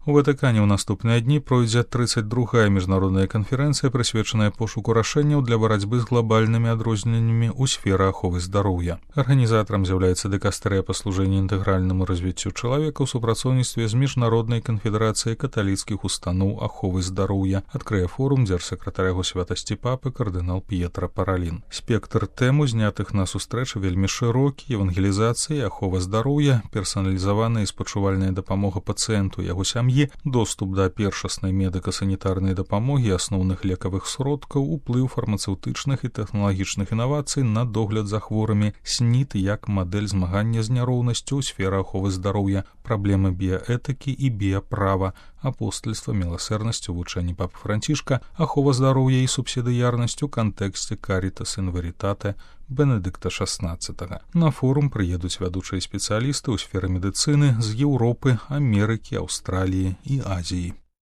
У Ватыкане ў наступныя дні пройдзе 32-я міжнародная канферэнцыя, прысвечаная пошуку рашэнняў для барацьбы з глобальнымі адрозненнямі ў сферы аховы здароўя. Арганізатарам з'яўляецца дыкастэрыя па служэнні інтэгральнаму развіццю чалавека ў супрацоўніцтве з міжнароднай канфедэрацыяй каталіцкіх устаноў аховы здароўя. Адкрые форум дзяржсакратар яго святасці папы кардынал П'етра Паралін. Спектр тэм, узнятых на сустрэчы, вельмі шырокі: евангелізацыя, ахова здароўя, персаналізаваная і спачувальная дапамога пацыенту, яго сям'і, доступ да першаснай медыка-санітарнай дапамогі, асноўных лекавых сродкаў, уплыў фармацэўтычных і тэхналагічных інавацый на догляд за хворымі, СНІД як мадэль змагання з няроўнасцю ў сферы аховы здароўя, праблемы біяэтыкі і біяправа, апостальства, міласэрнасць у вучэнні папы Францішка, ахова здароўя і субсідыярнасць у кантэксце Карітас ін Верітате Бенедыкта XVI. На форум прыедуць вядучыя спецыялісты ў сферы медыцыны з Еўропы, Амерыкі, Аўстраліі і Азіі.